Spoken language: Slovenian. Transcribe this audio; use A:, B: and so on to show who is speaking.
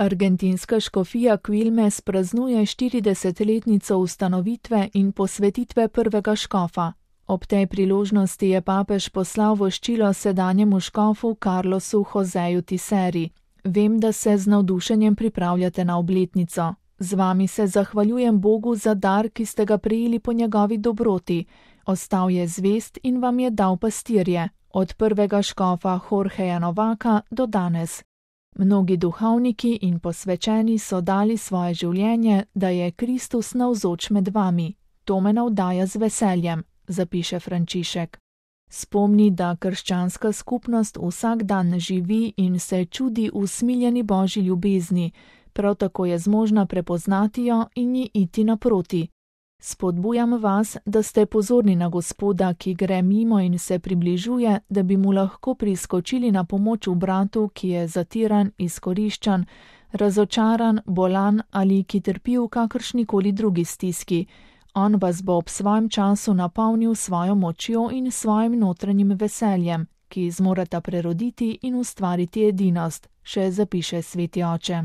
A: Argentinska škofija Quilmes praznuje 40-letnico ustanovitve in posvetitve prvega škofa. Ob tej priložnosti je papež poslal voščilo sedanjemu škofu Carlosu Joseju Tiseri. Vem, da se z navdušenjem pripravljate na obletnico. Z vami se zahvaljujem Bogu za dar, ki ste ga prejeli po njegovi dobroti. Ostal je zvest in vam je dal pastirje, od prvega škofa Jorgeja Novaka do danes. Mnogi duhovniki in posvečeni so dali svoje življenje, da je Kristus navzoč med vami. To me navdaja z veseljem, zapiše Frančišek. Spomni, da krščanska skupnost vsak dan živi in se čudi usmiljeni Božji ljubezni, prav tako je zmožna prepoznati jo in ji iti naproti. Spodbujam vas, da ste pozorni na Gospoda, ki gre mimo in se približuje, da bi mu lahko priskočili na pomoč v bratu, ki je zatiran, izkoriščan, razočaran, bolan ali ki trpi v kakršnikoli drugi stiski. On vas bo ob svojem času napolnil svojo močjo in svojim notranjim veseljem, ki zmoreta preroditi in ustvariti edinost, še zapiše sveti oče.